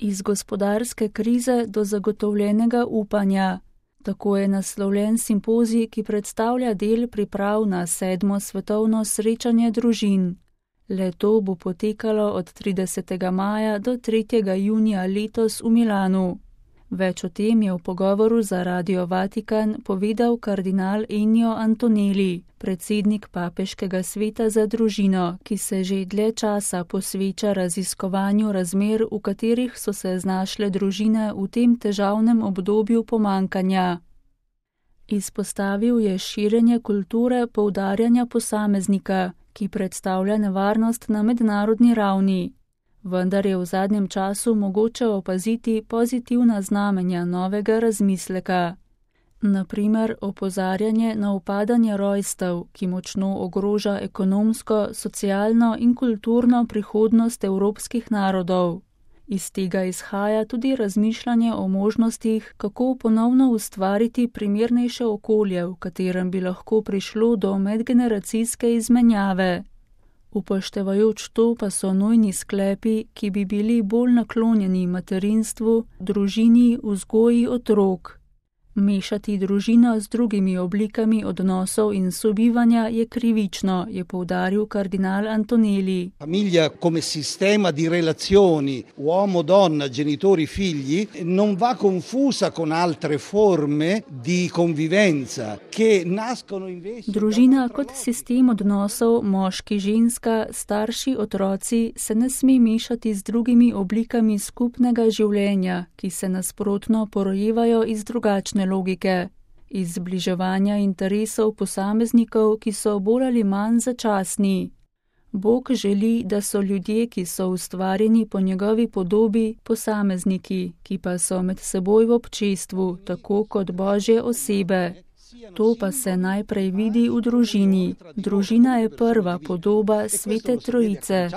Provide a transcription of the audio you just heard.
Iz gospodarske krize do zagotovljenega upanja. Tako je naslovljen simpozij, ki predstavlja del priprav na 7. svetovno srečanje družin. Le-to bo potekalo od 30. maja do 3. junija letos v Milanu. Več o tem je v pogovoru za Radio Vatikan povedal kardinal Ennio Antonelli, predsednik Papeškega sveta za družino, ki se že dlje časa posveča raziskovanju razmer, v katerih so se znašle družine v tem težavnem obdobju pomanjkanja. Izpostavil je širjenje kulture poudarjanja posameznika, ki predstavlja nevarnost na mednarodni ravni. Vendar je v zadnjem času mogoče opaziti pozitivna znamenja novega razmisleka. Na primer, opozarjanje na upadanje rojstev, ki močno ogroža ekonomsko, socialno in kulturno prihodnost evropskih narodov. Iz tega izhaja tudi razmišljanje o možnostih, kako ponovno ustvariti primernejše okolje, v katerem bi lahko prišlo do medgeneracijske izmenjave. Upoštevajoč to pa so nujni sklepi, ki bi bili bolj naklonjeni materinstvu, družini, vzgoji otrok. Mešati družino z drugimi oblikami odnosov in sobivanja je krivično, je poudaril kardinal Antonelli. Famiglia come sistema di relazioni uomo-donna, genitori-figli non va confusa con altre forme di convivenza che nascono invece. Družina kot sistem odnosov moški-ženska, starši-otroci se ne sme mešati z drugimi oblikami skupnega življenja, ki se nasprotno porojevajo iz drugačne logike, iz zbliževanja interesov posameznikov, ki so bolj ali manj začasni. Bog želi, da so ljudje, ki so ustvarjeni po njegovi podobi, posamezniki, ki pa so med seboj v občestvu, tako kot Božje osebe. To pa se najprej vidi v družini. Družina je prva podoba Svete Trojice.